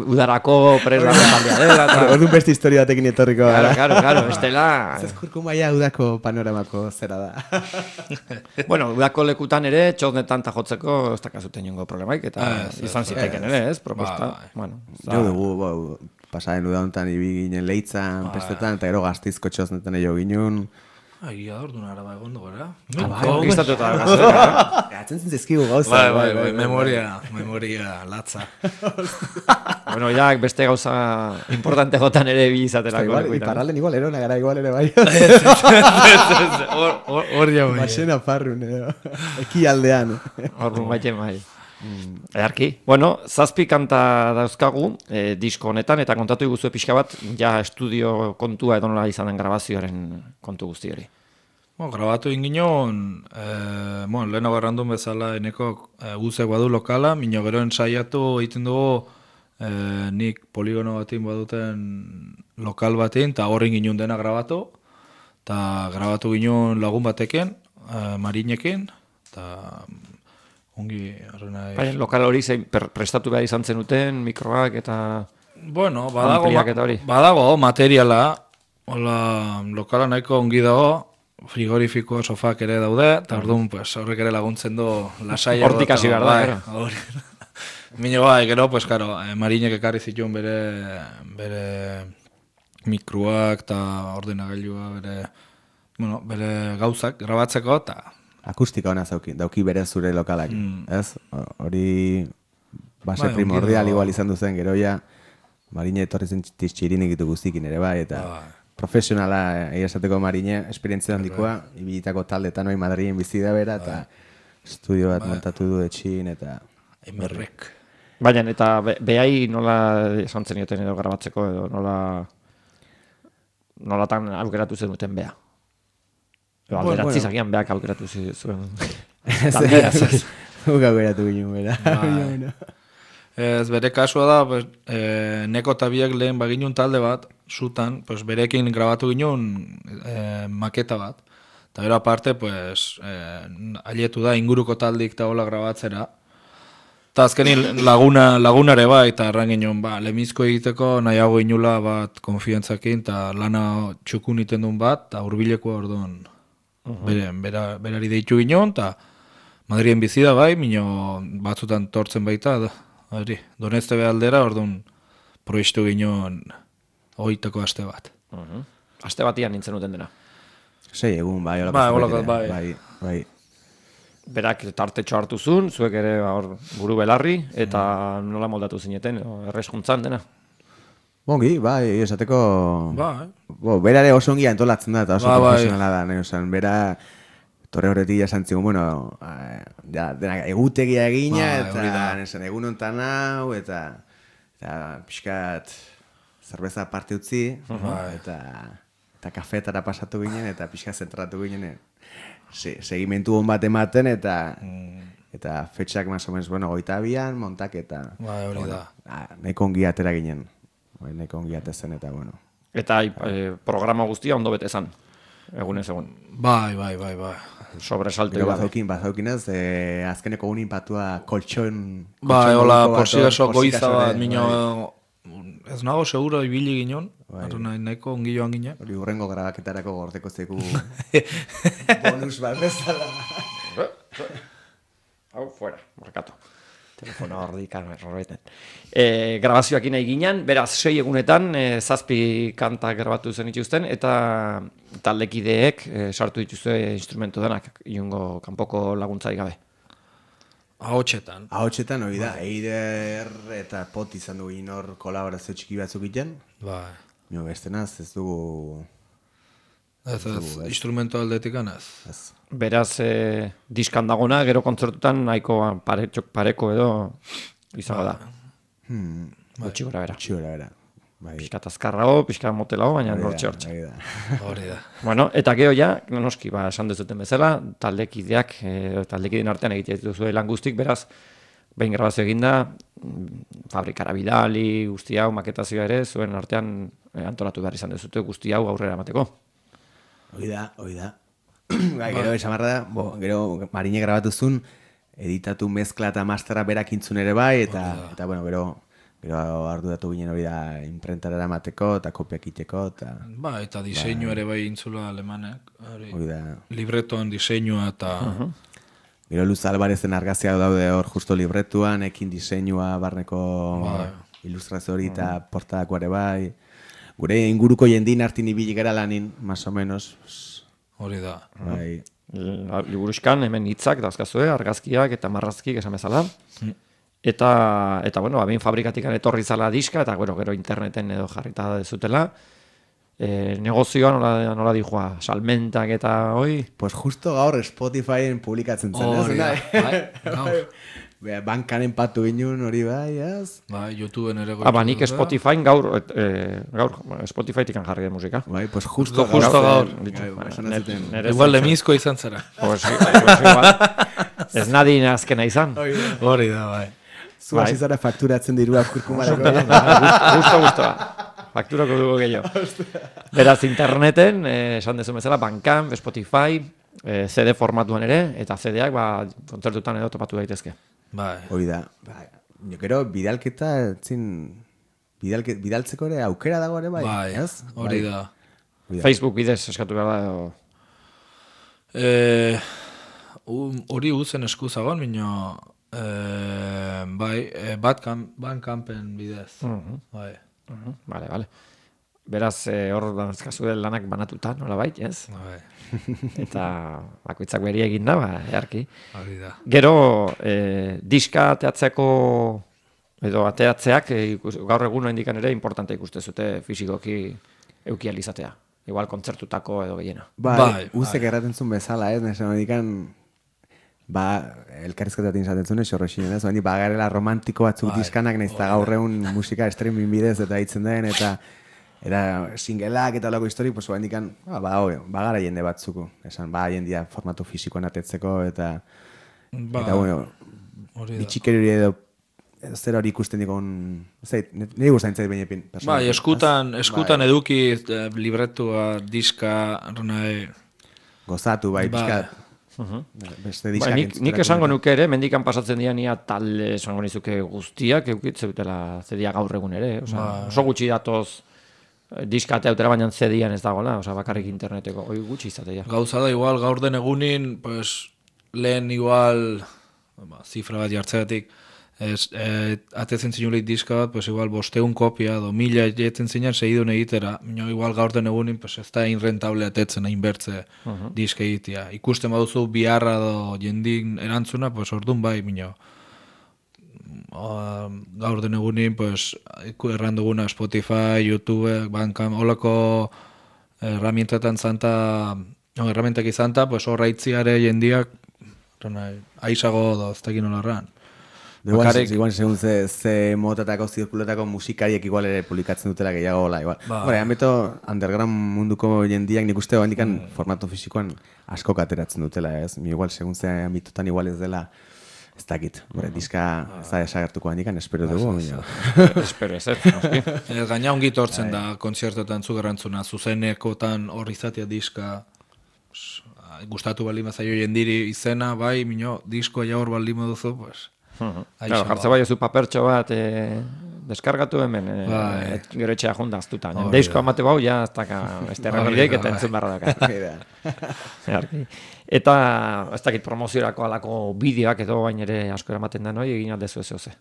A: udarako presdako taldea dela. Eta...
B: Orduan beste historia batekin etorriko
A: Claro,
B: gara.
A: claro, claro, estela...
B: Zezkurko maia udako panoramako zera da.
A: Bueno, udako lekutan ere, txosnetan tajotzeko ez dakazuten jongo problemaik, eta
C: Ah, ez,
A: izan
C: ez,
A: ziteken ere, ez, proposta.
C: Ba,
A: Bueno,
B: Jo dugu, bo, pasaren udauntan ibi ginen leitzan, pestetan, eta gero gaztizko txosnetan egin ginen.
C: Egia da, orduan araba egon gara.
A: konkistatu eta gazera.
B: Gatzen zintzizkigu gauza.
C: Bai, bai, bai, memoria, memoria latza.
A: Bueno, ja, beste gauza importante gotan ere bi izatelako.
B: Igual,
A: lekuetan.
B: iparralden igual erona gara igual ere bai.
C: Hor jau.
B: Basena farrun, edo. Eki aldean.
A: Orrun baite bai. Edarki. Bueno, zazpi kanta dauzkagu e, disko honetan, eta kontatu iguzu pixka bat, ja estudio kontua edo nola izan den grabazioaren kontu guzti hori.
C: Bueno, grabatu inginon, eh, bueno, lehenago errandun bezala eneko eh, guzek badu lokala, minio gero ensaiatu egiten dugu eh, nik poligono batin baduten lokal batin, eta horren ginen dena grabatu, eta grabatu ginen lagun batekin, eh, marinekin, eta ongi, arrena...
A: Bai, lokal hori zein per- prestatu behar izan zenuten, mikroak eta...
C: Bueno, badago,
A: Ampliak eta hori.
C: badago materiala, hola, lokala nahiko ongi dago, frigorifiko sofak ere daude, eta orduan pues, horrek ere laguntzen du lasaiago.
A: Hortik hasi behar da, gero.
C: Hori. Mino bai, gero, pues, karo, eh, marinek ekarri zituen bere, bere mikroak eta ordenagailua, bere, bueno, bere gauzak grabatzeko, eta
B: Akustika ona zauki, dauki bere zure lokalak, ez? Hori base
C: Bai,
B: primordial
C: ongi dago.
B: igual izan duzen gero ja, marine etorri zen txirin egitu guztikin ere bai, eta
C: Bai.
B: profesionala, egia esateko marine, esperientzia handikoa, ibilitako taldetan hori Madrilen bizi da bera, eta estudio bat montatu du etxin, eta...
C: emerrek.
A: Baina, eta be, behai nola esan zenioten edo grabatzeko, edo nola... Nolatan aukeratu zenuten beha. Edo
B: Bueno,
A: alderatzi
B: bueno.
A: zagian beak aukeratu zi- zuen.
B: Ez,
A: taldea, ez.
B: Guk aukeratu ginen bera.
C: Bai. Ez bere kasua da, pues, e, neko eta biak lehen baginun talde bat, sutan, pues, berekin grabatu ginen e, maketa bat. Eta gero aparte, pues, e, aietu da inguruko taldik eta hola grabatzera. Eta azkenin laguna, lagunare bai, eta erran ginen, ba, lemizko egiteko nahiago inula bat konfiantzakin, eta lana txukun iten duen bat, eta hurbileko orduan. Bere, bera, berari deitu ginen, eta Madrien bizi da bai, mino batzutan tortzen baita, da, hori, Donezte behaldera, orduan proiektu ginen hoitako aste bat.
A: Mhm. Aste batian nintzen duten dena.
B: Sei egun, bai, holako
C: Bai,
B: zerbait
C: holako,
B: ere,
C: bai.
B: bai, bai.
A: Berak tartetxo hartu zuen, zuek ere ba, hor buru belarri, eta nola moldatu zineten, edo erreskuntzan dena.
B: Ongi, bai, esateko...
C: Bai.
B: Bo, berare oso ongi antolatzen da, eta oso
C: Ba, bai.
B: profesionala da, nahi, osan, bera torre horretik jasan zigun, bueno, eh, ja, denak egutegia egina,
C: Bai, hori da.
B: eta nesan, egun ontan hau, eta, eta pixkat zerbeza parte utzi, eta, eta kafetara pasatu ginen, eta pixkat zentratu ginen, se, segimentu hon bat ematen, eta... Eta fetxak más o menos, bueno, goita bian, montak eta...
C: Bai, hori
B: bueno,
C: da.
B: ah, nahiko ongi atera ginen. Bai, nahiko ongi atezen eta, bueno.
A: Eta e, programa guztia ondo bete zan, egunez egun.
C: Bai, bai, bai, bai.
A: Sobresalto
B: Gero
A: gabe.
B: bazaukin, bazaukin ez, eh, azkeneko unin patua koltxon...
C: Bai, hola,
B: moduko bat,
C: porsigaso
B: hor,
C: goiza
B: porsigasore,
C: bat, mino...
B: bai.
C: Ez nago seguro ibili ginen,
B: Bai.
C: arra nahi, nahiko ongi joan ginen.
B: Hori urrengo grabaketarako gordeko zeku bonus bat bezala.
A: Hau, fuera, markatu. Telefono hor horretan. E, grabazioak nahi ginen, beraz, sei egunetan, e, zazpi kantak grabatu zen ituzten, eta taldekideek e, sartu dituzte instrumentu denak, inungo kanpoko laguntzarik gabe.
C: Ahotxetan.
B: Ahotxetan hori da, Eider eta Pot izan dugu inor kolaborazio txiki batzuk iten.
C: Bai.
B: Jo, bestenaz ez dugu...
C: Ez, ez, instrumento aldetik ez.
B: Ez.
A: Beraz, e, diskan dagona, gero kontzertutan nahiko pare, txok pareko edo izango da.
B: Hmm,
A: Gutxi gora bera.
B: txigora bera. Bai.
A: Pixkat azkarrago, pixkat motelago, baina
B: Hori da,
A: hortxe hortxe.
B: hori da.
C: Hori da.
A: Bueno, eta gero ja, noski, ba, esan duzuten bezala, taldekideak, e, taldekideen artean egite dituzue lan guztik, beraz, behin grabazio eginda, mm, fabrikara bidali, guzti hau, maketazioa ere, zuen artean e, antolatu behar izan duzute guzti hau aurrera emateko.
B: Hori da, hori da. Bai, gero, esan barra da, bo, gero, Marine grabatuzun, editatu mezkla eta mastera berak intzun ere bai, eta, eta bueno, gero, gero arduratu ginen hori da imprentara emateko, eta kopiak iteko, eta...
C: Ba, eta diseinu ere bai intzula alemanek. Hori.
B: Hori da.
C: Libretoan diseinua eta...
B: Gero Luz Albarezen argazkiak daude hor justo libretuan, ekin diseinua, barneko
C: Bai.
B: ilustrazio hori eta portadako ere bai. Gure inguruko jendin hartin ibili gara lanin, más o menos.
C: Hori da.
B: Bai.
A: Liburuzkan hemen hitzak dauzkazue, argazkiak eta marrazkik esan bezala. Eta, eta bueno, abin fabrikatikan etorri zala diska, eta bueno, gero interneten edo jarrita dezutela. E, negozioa nola, nola dijoa, salmentak eta hoi?
B: Pues justo gaur Spotifyen publikatzen zen,
C: Hori da.
B: ez?
C: Bai, gaur.
B: Bea, bankan enpatu ginen hori bai, ez?
C: Bai, YouTubeen ere
A: Ah, ba, nik
C: goitu da.
A: Spotifyn gaur, et, e, gaur Spotifytik jarri den musika.
B: Bai, pues justo,
C: Justo, justo gaur.
A: Ditu,
B: Bai,
A: bueno,
B: esan
A: nere-
B: zuten.
A: nere
C: Igual
A: zen-
C: lemizko izan zara.
A: Pues, pues igual. Ez nadin azkena izan.
C: Hori da, bai.
B: Zu hasi zara fakturatzen dirua kurkumarako.
A: Gusto, gustoa. Fakturako dugu gehiago. Beraz, interneten, eh, esan dezu bezala, Bandcamp, Spotify, eh, C D formatuan ere, eta C D-ak ba, kontzertutan edo topatu daitezke.
C: Bai.
B: Hori da. Bai. Jo, gero, bidalketa, zin, bidalke, bidaltzeko ere aukera dago ere, bai,
C: Bai,
B: ez?
C: hori
B: Bai.
C: da.
B: Hori da.
A: Facebook bidez eskatu behar da, edo...
C: Eh, u- Hori uzen eskuzagon, mino... Eh, bai, eh, Bandcamp, Bandcampen bidez. Bai.
A: Uh-huh, Vale, vale. Beraz, eh, hor dantzkazu lanak banatuta, nola bait, ez?
C: Bai.
A: Eta bakoitzak beri egin da, ba, earki.
C: Hori da.
A: Gero, eh, diska ateatzeko edo ateatzeak eh, ikus, gaur egun indikan ere importante ikuste zute fisikoki eukializatea. Igual kontzertutako edo gehiena.
B: Bai,
C: Bai,
B: uzek erraten zuen bezala, ez? Nesan medikan, ba, elkarrizketatik izaten zuen, esorroxinen, ez? Baina, bagarela romantiko batzuk
C: Bai,
B: diskanak, nahiz eta gaur egun musika streaming bidez eta hitzen den, eta eta singleak eta olako historik, pues, baina, ba, ba, hoi, bagara jende batzuko, esan, ba, jendia formatu fisikoan atetzeko, eta,
C: Ba,
B: eta, bueno,
C: hori da.
B: bitxikeri edo, zer hori ikusten dikon, ez zait, nire guztain zait bainepin.
C: Bai, eskutan, eskutan eduki eh, libretua, diska, nahi...
B: Gozatu, bai,
C: Bai.
B: pixkat. Beste
A: Ba,
B: diskak
A: nik, nik
B: entzuterako
A: esango
B: eta-
A: nuke ere, mendikan pasatzen dira nia talde esango nizuke guztiak eukitze dutela zedia gaur egun ere. Osa,
C: Ba.
A: oso gutxi datoz eh, diska ateutera, baina zedian ez dagoela, osa, bakarrik interneteko, hoi gutxi izatea.
C: Gauza da, igual, gaur den egunin, pues, lehen igual, ba, zifra bat jartzeatik, ez, e, atetzen zinulik diska bat, pues igual, bosteun kopia, do mila jetzen zinan, segidun egitera. Mino, igual, gaur den egunin, pues, ez da inrentable atetzen, hain bertze diska egitea. Ikusten baduzu biharra do jendin erantzuna, pues, ordun bai, mino. O, gaur den egunin, pues, iku erran duguna Spotify, YouTube, Bandcamp, holako herramientetan zanta, no, herramientak izanta, pues horra itziare jendiak, aizago do, ez tekin nola erran.
B: Igual,
C: Bakarrik-
B: igual segun ze, ze motatako, zirkuletako musikariek igual ere publikatzen dutela gehiago hola, igual.
C: Ba.
B: Hora, ambeto underground munduko jendiak nik uste handikan formato fisikoan asko ateratzen dutela, ez? Mi igual segun ze ambitotan igual ez dela, ez dakit. Hora, diska ez da desagertuko handikan, espero dugu. baina-
A: Espero ez, ez, noski.
C: E, gaina ongi tortzen da kontzertotan zu garrantzuna, zuzenekotan hor izatea diska, pues, gustatu baldin bazaio jendiri izena, bai, mino, diskoa ja hor baldin baduzu, pues...
A: Claro,
C: Aixa,
A: jartze bai zu papertxo bat eh, deskargatu hemen, eh,
C: Bai.
A: et, gero etxea junda aztuta.
C: Hori
A: Deizko
C: da.
A: amate bau, ja, ez daka, ez
C: Hori
A: terrenidek
C: da,
A: eta
C: bai.
A: entzun barra daka.
B: Hori da.
A: Zeharki. Eta, ez dakit promoziorako alako bideoak edo bain ere asko eramaten da noi, egin aldezu ez oze.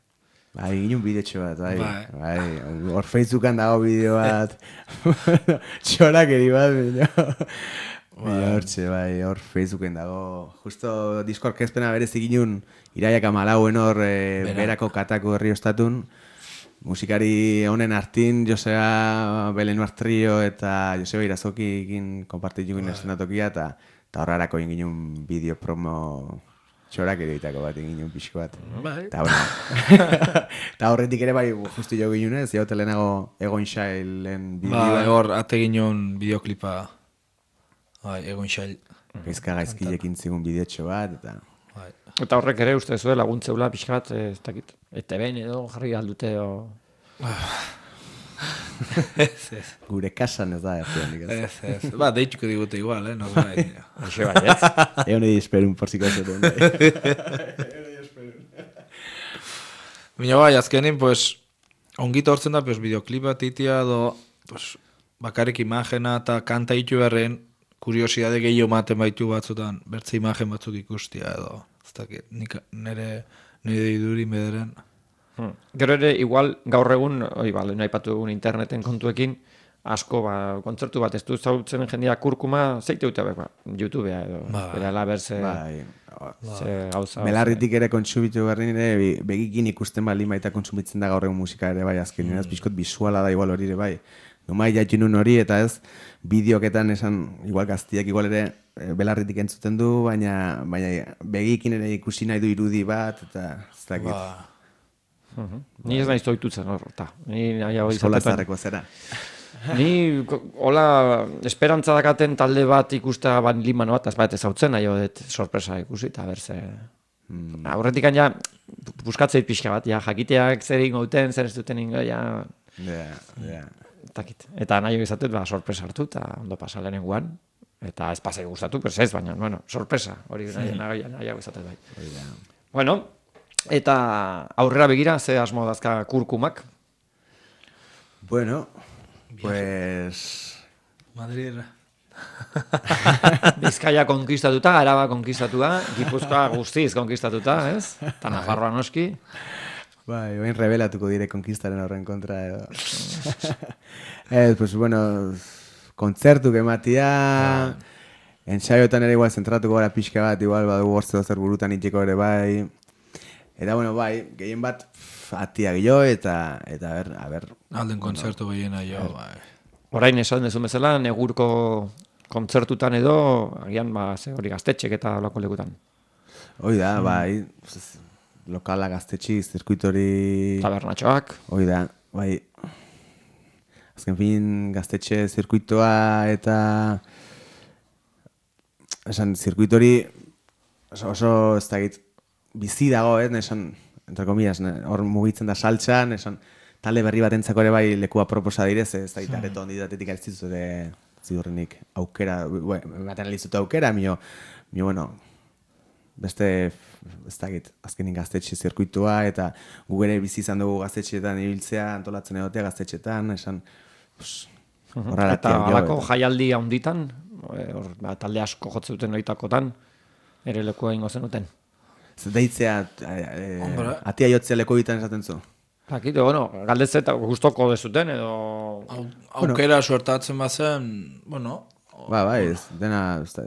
B: Bai, egin un bidetxo bat, bai.
C: Bai.
B: Bai, hor Facebookan dago bideo bat. Txorakeri bat, bino. Bai, hortxe, bai, hor Facebooken dago. Justo disko orkezpena berez eginun iraiak amalauen hor e, berako katako herri ostatun. Musikari honen artin, Josea Belenuar Trio eta Joseba Irazoki egin konpartitu egin eszenatokia eta eta horrarako egin ginen bideo promo txorak eroitako bat egin pixko bat.
C: Bai.
B: Eta bueno. Eta horretik ere bai justu jo ginunez, jau telenago Egon Xailen bideoa.
C: Ba, hor, ate ginen bideoklipa, bai, Egon Xail.
B: Gaizka gaizkilekin zigun bideotxo bat, eta...
C: Bai.
A: Eta horrek ere uste zuen laguntzeula pixka bat, ez dakit, eta behin edo jarri aldute o...
C: Ez, ez.
B: Gure kasan ez da, ez da.
C: Ez, ez. Ba, deitxuko digute igual, eh? No, bai.
A: Hoxe bai, ez?
B: Egon edi esperun porziko zuten.
C: Baina bai, azkenin, pues, ongito hortzen da, pues, bideoklipa titia, do, pues, bakarrik imagena eta kanta itu berren, kuriosidade gehiago maten baitu batzutan, bertze imagen batzuk ikustia edo, ez dakit, nik nire, nire iduri bederen.
A: Hmm. Gero ere, igual, gaur egun, oi, bale, nahi patu egun interneten kontuekin, asko, ba, kontzertu bat, ez du zautzen jendia kurkuma, zeite dute, ba, YouTubea edo,
C: Ba.
A: bera laberze,
B: Bai,
A: ze gauza.
B: belarritik ere kontsumitu berri nire, be- begikin ikusten bali baita kontsumitzen da gaur egun musika ere bai, azken ez bizkot bisuala da igual hori ere bai. Nomai jaitu nun hori eta ez, bideoketan esan, igual gaztiak igual ere e, belarritik entzuten du, baina, baina begikin ere ikusi nahi du irudi bat, eta ez dakit.
C: Ba,
A: Mhm. Ni ez naiz doitutzen hor, eta, ni nahi hau
B: Eskola
A: izatetan.
B: zarreko zera.
A: Ni, ko- hola, esperantza dakaten talde bat ikustea ban limano bat, ez bat ezautzen, nahi dut sorpresa ikusi, eta berze... Mm. Aurretik ja, buskatzeit pixka bat, ja, jakiteak zer ingo duten, zer ez duten ingo, ja,
B: Ja, ja.
A: takit. Eta nahi izatut, ba, sorpresa hartu, eta ondo pasa lehenengoan, eta ez pasei gustatu, pero ez, baina, bueno, sorpresa, hori nahi, nahi, nahi izatut bai. Bueno, eta aurrera begira, ze asmo dazka kurkumak,
B: Bueno, pues...
C: Madrid.
A: Bizkaia konkistatuta, Araba konkistatua, Gipuzkoa guztiz konkistatuta, ez? Eta Nafarroa noski.
B: Bai, oin rebelatuko dire konkistaren horren kontra edo. Ez, pues bueno, kontzertu ematia, ensaiotan ere igual zentratuko gara pixka bat, igual badugu hortze zer burutan itxeko ere bai. Eta bueno, bai, gehien bat pff, atia gio eta, eta a ber, a ber.
C: Alden kontzertu gehiena jo, bai.
A: Orain esan dezu bezala, negurko kontzertutan edo, agian, ba, ze hori gaztetxek eta olako lekutan.
B: Hoi da, bai, pues, lokala gaztetxi, zirkuitori...
A: Tabernatxoak,
B: Hoi da, bai. Azken fin gaztetxe zirkuitoa eta... Esan, zirkuitori oso, oso ez dakit, bizi dago, ez, esan, entre comillas, ne, hor mugitzen da saltxan, esan, talde berri batentzako ere bai lekua proposa direz, ez dakit, areto handidatetik altzitzu ere ziurrenik aukera, ematen alizutu aukera, mio, mio, bueno, beste, ez dakit, azkenin gaztetxe zirkuitua, eta gu ere bizi izan dugu gaztetxeetan ibiltzea, antolatzen egotea gaztetxeetan, esan, pues, horrela
A: eta
B: tiak jo,
A: alako
B: eta-
A: jaialdi handitan, e, hor, ba, talde asko jotzuten oitakotan, ere lekua ingo zenuten.
B: Ez deitzea, e,
C: Hombre.
B: atia jotzea leko ditan esaten zu.
A: Akite, bueno, galdetze eta gustoko dezuten, edo...
C: Au, aukera suertatzen bazen, bueno,
B: Ba, bai, ez, dena, ez da,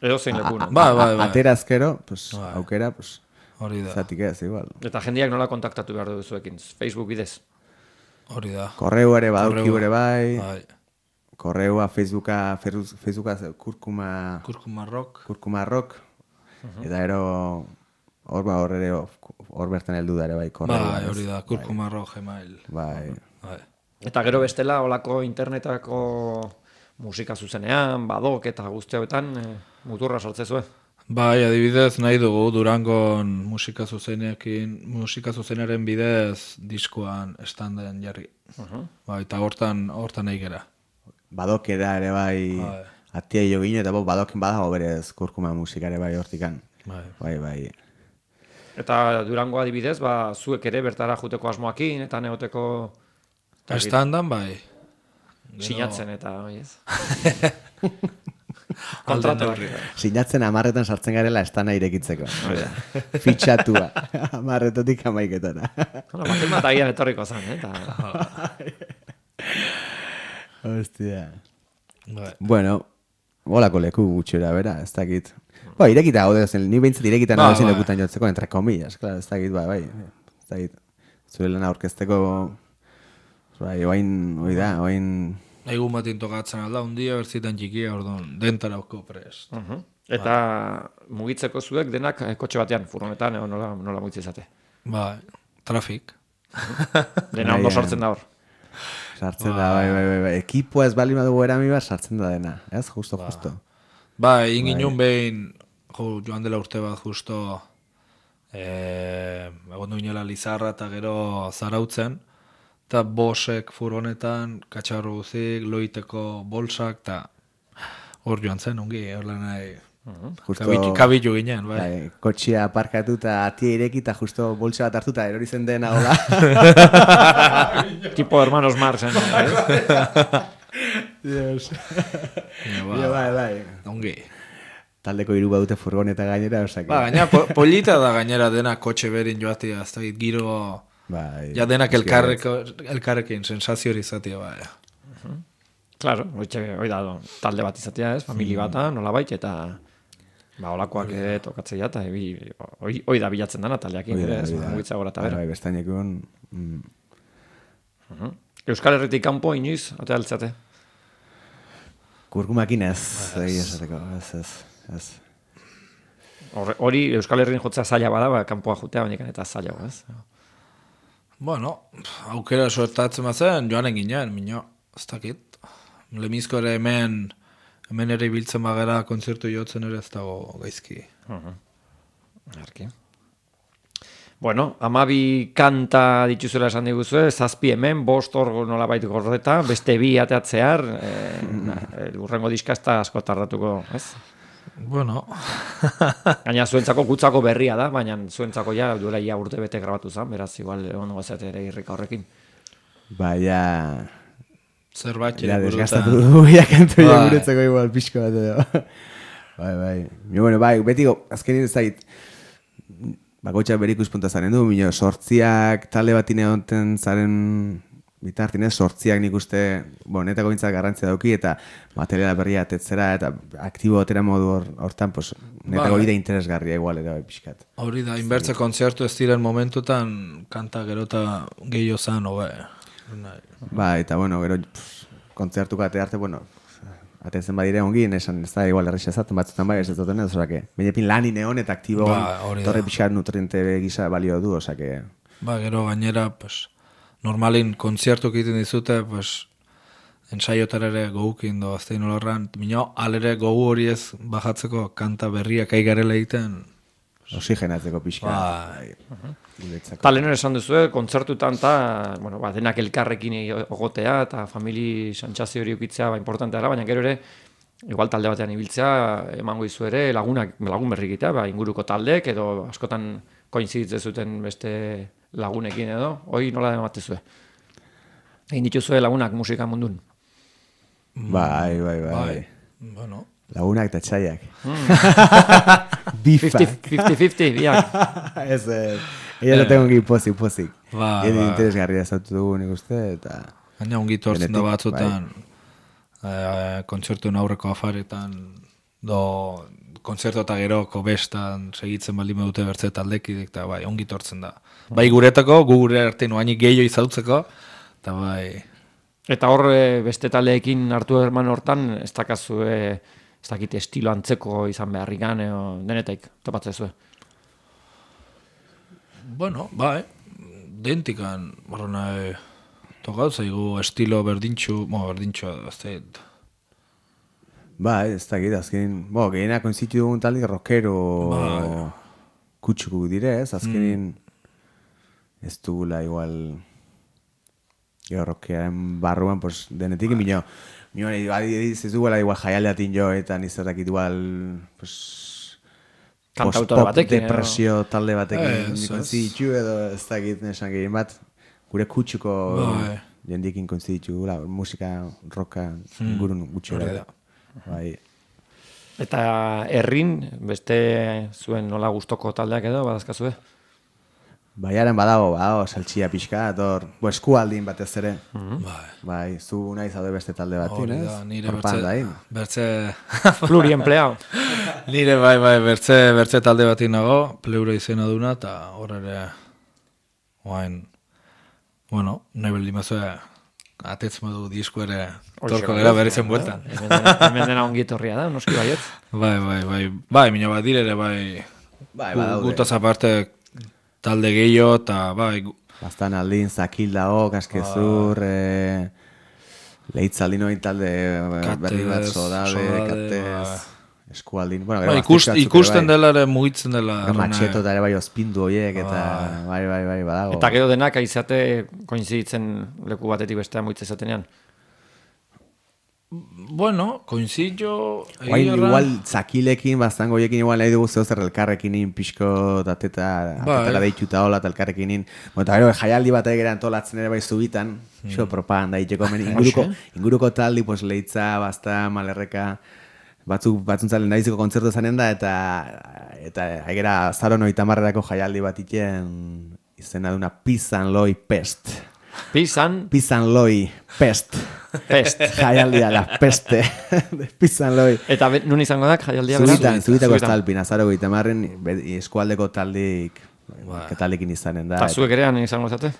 A: Edo zein leku, no?
C: Ba, bai, bai.
B: atera azkero, pues,
C: Bai.
B: aukera, pues,
C: hori da,
B: zatik ez, igual.
A: Eta jendeak nola kontaktatu behar duzuekin, Facebook bidez.
C: hori da.
B: Korreu ere, badauki
C: Korreua.
B: ere bai,
C: Bai.
B: korreua, Facebooka, Feruz- Facebooka, kurkuma,
C: Kurkuma rock.
B: kurkuma rock, eta ero, hor ba, hor ere, hor bertan heldu da ere bai, korreua.
C: Bai,
B: ez?
C: hori da, kurkuma rock, gmail.
B: Bai,
C: Bai.
A: Eta gero bestela, olako internetako musika zuzenean, badok eta guzti hauetan, e, muturra sartzezue.
C: Bai, adibidez nahi dugu Durangon musika zuzenekin, musika zuzenaren bidez diskoan estanden jarri. Bai, eta hortan, hortan nahi gera.
B: badokera ere bai,
C: Bai.
B: atia jo gino, eta bo, badoken badago berez kurkuma musika ere bai hortikan.
C: Bai.
B: Bai, bai.
A: Eta Durango adibidez, ba, zuek ere bertara juteko asmoakin, eta neoteko
C: Estandan, bai.
A: sinatzen eta, oi ez?
C: Alden
A: Kontratu
C: neurri.
B: Sinatzen amarretan sartzen garela estana irekitzeko. Fitxatua. Amarretotik amaiketara.
A: Bueno, baten bat agian etorriko zen, eh? Eta...
B: Hostia.
C: Bai.
B: Bueno, holako leku gutxera, bera, ez dakit. Ba, irekita gaude, zen, ni behintzat irekita
C: Ba,
B: nago ezin
C: bai.
B: lekutan jotzeko, entre comillas, claro, ez dakit, bai, bai. Ez dakit, zure lana aurkezteko, bai, oain, oi da, oain...
C: Egun batin tokatzen alda, un dia berzitan txikia, orduan, dentarauko prest.
A: Uh -huh. Eta mugitzeko zuek denak eh, kotxe batean, furgonetan, edo nola, nola mugitzen izate.
C: Bai, trafik.
A: Dena ondo
B: Bai,
A: sortzen da hor.
B: Sartzen da, bai, bai, bai, bai. Ekipoa ez bali badugu erami bat, sartzen da dena. Ez, justo, justo.
C: Ba, egin ginen behin, jo, joan dela urte bat justo, eh, egon duinela Lizarra eta gero Zarautzen, eta bosek furgonetan, katxarro guzik, loiteko bolsak, eta hor joan zen, ongi, hor lan nahi,
B: Justo,
C: kabitu, kabitu ginen, bai.
B: bai, kotxea aparkatu eta atia ireki eta justo bolsa bat hartuta erori zen dena hola.
A: Tipo hermanos Marx, eh?
B: Dios.
C: Ja, ba,
B: Ja, bai, bai.
C: ongi.
B: Taldeko hiru badute furgoneta gainera, osake.
C: Ba, gaina, po, polita da gainera dena kotxe berin joatia, ez da giro,
B: Bai,
C: ja denak
B: eske-
C: elkarreko, elkarrekin sensazio hori izatea, bai.
A: Claro, hoitxe, hoi da, talde bat izatea, ez? Famili bata, nolabait, eta ba, olakoak ere tokatzea, eta ebi, hoi, hoi da bilatzen dana taldeakin,
B: Hoi da,
A: ere, ez?
B: hoi da.
A: Mugitza gora eta
B: Bai,
A: bera.
B: bai, bestainekin, mm,
A: Euskal Herritik kanpo inoiz, ote altzate?
B: kurkumakin ez, egia esateko, ez, ez, ez.
A: Horre- Hori Euskal Herrin jotzea zaila bada, ba, kanpoa jutea, baina eta zaila, ez?
C: Bueno, aukera sortatzen bazen, joanen ginen, mino, ez dakit. Lemizko ere hemen, hemen ere ibiltzen bagara kontzertu jotzen ere ez dago gaizki.
A: Arki. Bueno, amabi kanta dituzuela esan diguzue, zazpi hemen, bost hor nolabait gordeta, beste bi ateatzear, e, urrengo diska ez da asko tardatuko, ez?
C: Bueno,
A: Gaina zuentzako gutzako berria da, baina zuentzako ja duela ia urte bete grabatu zen, beraz igual ondo gazete ere irrika horrekin.
B: Baina,
C: zerbait
B: ja,
C: ere
B: desgastatu
C: burutan.
B: dugu, ja kantu ja
C: Bai.
B: guretzako igual pixko bat edo. Bai, bai. Mio, bueno, bai, beti go, azkenin ez zait, bakoitza bere ikuspunta zaren du, mino, sortziak talde bat ineonten zaren bitartin ez, sortziak nik uste, bueno, netako gintzak garrantzia dauki, eta materiala berria atetzera, eta aktibo atera modu hor- hortan, pues, netako
C: Bai.
B: bide interesgarria igual, ere, bai, pixkat.
C: Hori da, inbertze kontzertu ez diren momentutan kanta gerota gehiago zan, hobe.
B: Ba, eta bueno, gero pff, kontzertuko ate arte, bueno, atetzen badire ongi, esan ez da igual erresa ezaten batzutan bai, ez ez duten ez, osake, bainepin lani neon eta aktibo
C: Ba, hori da.
B: torre pixkat nutriente gisa balio du, osake,
C: Ba, gero gainera, pues, normalin kontzertuk egiten dizute, pues, ensaiotara ere gogukin do, aztein olorran, mino, alere gogu hori ez bajatzeko kanta berriak aigarela egiten,
B: oxigenatzeko pixka.
C: Bai.
B: Guretzako.
A: Ta lehen esan duzu, kontzertutan eta, bueno, ba, denak elkarrekin egotea eta famili santxazio hori ukitzea ba, importantea dela, baina gero ere, igual talde batean ibiltzea, emango izu ere, lagunak, lagun berri egitea, ba, inguruko taldek, edo askotan koinziditzen zuten beste lagunekin edo, hoi nola ematezue? Egin dituzue lagunak musika mundun.
B: Bai, bai, bai.
C: bai,
B: bai.
C: bueno,
B: Lagunak eta txaiak. Bifa.
A: fifty fifty, biak.
B: Ez, ez. Ella lo tengo que pozik, pozik.
C: Ba,
B: Edi
C: ba.
B: interesgarria zautu dugu nik uste, eta...
C: gaina ongi tortzen da
B: Benetik,
C: batzutan, eh, kontzertuen aurreko afaretan, do, kontzertu eta geroko bestan segitzen baldin dute bertze taldekidik, eta bai, ongi tortzen da. Bai guretako, gu gure arte noanik gehiago izautzeko, eta bai,
A: Eta hor eh, beste taldeekin hartu herman hortan, ez dakazu, eh, ez dakit estilo antzeko izan beharrikan, edo denetaik, topatzezue.
C: bueno, bai, dentikan, barro nahi, tokau zaigu estilo berdintxu, mo, berdintxu, ez da,
B: Ba, ez dakit, azkenin, bo, gehiena konzitu dugun talde rockero
C: Bai.
B: kutsuku dire, ez, azkenin ez dugula igual gero rockeraren barruan, pues, denetik, mino, mino, ez dugula igual jaialdeatin jo, eta nizatakit igual, pues,
A: Kantautore
B: post-pop
A: batekin, edo.
B: depresio talde batekin
C: Ez, ez.
B: konzitu, edo ez dakit nesan gehien bat, gure kutsuko
C: Bai.
B: jendikin konzitu, gula, musika, rocka, ingurun gutxi
C: hori
B: gara.
C: da.
B: Bai.
A: Eta herrin, beste zuen nola gustoko taldeak edo, badazkazue?
B: Baiaren badago, badago, saltxia pixka, ator, bo, eskualdin batez ere.
C: Bai.
B: Bai, zu nahi zaude beste talde batin,
C: Hori
B: ez?
C: da, nire
B: Horpan
C: bertze,
B: dain.
C: bertze,
A: Pluriempleado.
C: nire bai, bai, bertze, bertze talde bat nago, pleura izena duna, eta hor ere, oain, bueno, nahi baldin bazue, atez modu disko ere
A: Hoxe,
C: torko
A: bai,
C: gara berri zen bueltan.
A: Hemen dena- hemen dena ongi etorria da, noski baiet.
C: Bai, bai, bai, bai, mina bat dire ere, bai,
B: Bai,
C: gu-
B: badaude.
C: gutaz aparte talde gehiago, eta bai, gu-
B: Bastan aldin, zakil dago, kaskezur, eh, leitzaldin hori talde eh, berri bat,
C: Katez,
B: sodabe,
C: Sodade,
B: katez, eskualdin. Bueno,
C: bai,
B: gero
C: ikust,
B: gaztetxo batzuk ere
C: ikusten
B: bai.
C: dela ere mugitzen dela.
B: Gero
C: arrona,
B: matxeto eta ere bai ospindu horiek, eta bai, bai, bai, badago.
A: Eta gero denak aizate koinziditzen leku batetik bestea moitze zatenean.
C: Bueno, coincido.
B: Guain, igual, zakilekin, bastango hiekin, igual nahi dugu zeu zer elkarrekin in, pixko, dateta,
C: Bai.
B: atetara deituta hola, eta elkarrekin in. Bueno, eta gero, jaialdi bat egera antolatzen ere bai zubitan, xo propaganda itxeko, men, inguruko, inguruko taldi, pues, leitza, basta, malerreka, batzuk, batzuntzalen daiziko kontzertu zanen da, eta, eta, egera, zaro noita marrerako jaialdi bat iten, izena duna Pizan Loi Pest.
A: Pizan,
B: Pizan Loi Pest.
A: pest.
B: Jaialdia, la peste. De Pizan Loi.
A: Eta be, nun izango da, jaialdia bera?
B: Zubitan, zubitako
A: Zubitan.
B: estalpin, azaro goita marren, eskualdeko taldik, taldekin izanen da.
A: Eta zuek ere han izango zate?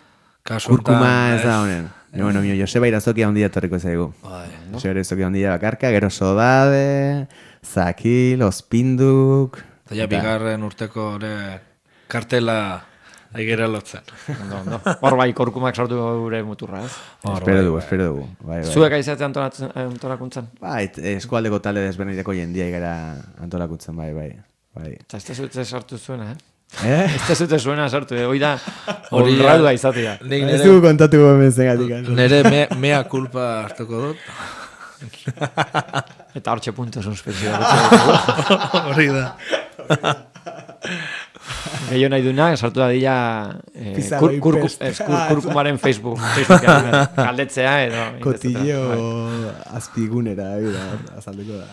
C: Kasu
B: Kurkuma
C: honetan,
B: ez da honen. No, bueno, mio, Joseba Irazoki handia etorriko zaigu.
C: Bai.
B: Joseba Irazoki handia bakarka, gero Sodade, Zakil, Ospinduk.
C: Eta ja bigarren urteko ere kartela aigera lotzen.
A: Ondo, ondo. Hor bai, korkumak sartu gure muturra, ez?
B: Espero dugu, espero dugu. Bai, bai.
A: Zuek aizatea antolatzen- antolakuntzan?
B: Bai, eskualdeko talde desberdinetako jendia gara antolakutzen, bai, bai. Bai.
A: Eta ez zute sartu zuena, eh?
B: Eh?
A: Ez zute zuena sartu, eh? Hoi da,
C: Hori da.
A: honradua izatea.
C: Nik
B: Ez
C: nere,
B: dugu kontatu gomen zengatik.
C: nere me, mea kulpa hartuko dut.
A: Eta hortxe punto suspensio.
C: Hori da.
A: Gehio nahi duna, sartu da dila eh,
B: Pizarro
A: kur, kur,
B: ipest.
A: ez, kur, kurkumaren Facebook. Facebookean, eh, galdetzea edo...
B: Kotillo azpigunera, bida, azalduko da.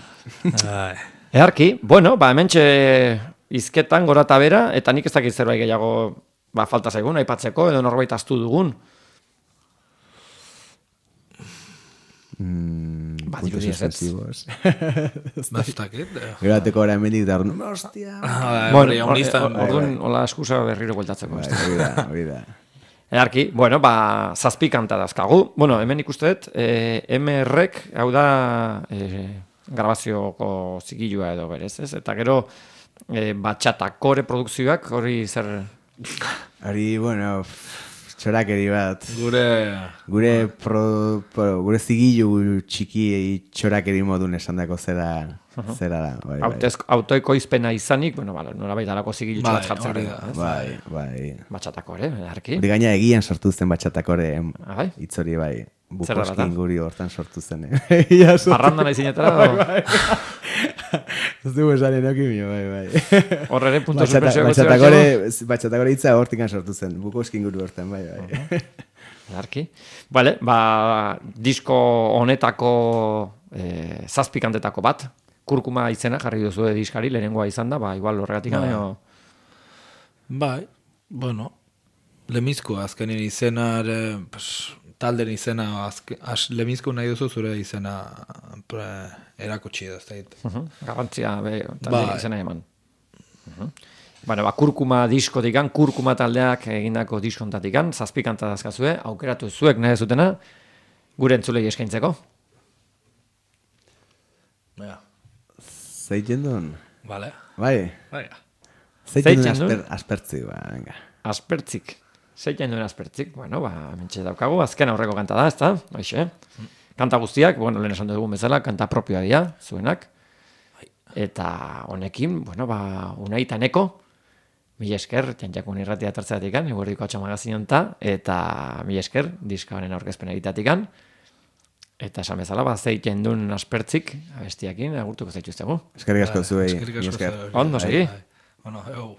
C: Ai.
A: Eharki, bueno, ba, hementxe izketan gora eta bera, eta nik ez dakit zerbait gehiago ba, falta zaigun, aipatzeko, edo norbait astu dugun.
B: Mm,
A: Ba,
B: puntos
A: dirudi ez, ez.
B: suspensivos.
C: Bastakit.
B: Gero bateko ora hemendik da, orduan, hostia.
C: Bai,
A: Bueno,
C: hori, honiztan.
A: or- orduan, hola eskusa berriro bueltatzeko.
B: Bai,
A: ez da.
B: hori da, hori da.
A: Eharki, bueno, ba, zazpi kanta dazkagu. Bueno, hemen ikuste dut, eh, M R-ek, hau da, eh, grabazioko zigilua edo berez, ez? Eta gero, eh, batxatakore produkzioak, hori zer...
B: Hori, bueno, txorakeri bat.
C: Gure...
B: Gure, pro, pro, gure zigilu txiki txorakeri modun esandako zera, zera da. Bai, bai.
A: Autoez- autoekoizpena izanik, bueno, bala, nolabait alako zigilutxo
C: Bai,
A: bat jartzen
C: hori
A: da.
C: da.
A: ez?
B: Bai, bai.
A: Batxatakore, eharki.
B: Hori gaina egian sortu zen batxatakore
A: Ah, bai?
B: hitzori bai.
A: Zer da
B: Bukoskin
A: bata?
B: guri hortan sortu zen. eh. Ia sortu-
A: Parranda nahi zinetara,
B: Bai, Ez dugu esan enoki mio, bai, bai.
A: hor ere punto
B: Batxata-
A: suspensio
B: Batxatakore, batxatakore hitza hortikan sortu zen. Bukoskin guru hortan, bai, bai.
A: Eharki. Vale, ba, disko honetako eh, zazpikantetako bat, kurkuma izena jarri duzu diskari, lehenengoa izan da, ba, igual horregatik
C: Bai.
A: gano...
C: Bai, bueno, lemizko azkenen izena, ere, pues, talden izena, azke, as, lemizko nahi duzu zure izena pre, erakutsi da, ez da hit.
A: Uh Garrantzia be, talde
C: Bai.
A: izena eman. Uh Bueno, ba, kurkuma diskotikan, kurkuma taldeak egindako diskontatik zazpikanta dazkazue, aukeratu zuek nahi zutena, gure entzulei eskaintzeko.
C: Ja,
B: Zeiten duen?
C: vale.
B: Bai,
C: Bai,
B: zeiten duen
A: Zeiten duen?
B: asper, aspertzi, ba, venga.
A: Aspertzik. Zeitzen duen aspertzik. Bueno, ba, mentxe daukagu, azken aurreko kanta da, ez da? Hoxe. Kanta guztiak, bueno, lehen esan dugun bezala, kanta propioa dira, zuenak. Eta honekin, bueno, ba, unaitaneko, mila esker, txantxakun irratia tertzatikan, eguerdiko atxamagazinonta, eta mila esker, diska honen aurkezpen egitatikan. Eta esan bezala, ba, zeiten duen aspertzik, abestiakin, agurtuko zaituztegu.
B: Eskerrik asko zuei.
C: eskerrik asko
B: mila esker.
C: zuei.
A: Ondo, segi.
C: Bai. Bueno, eu.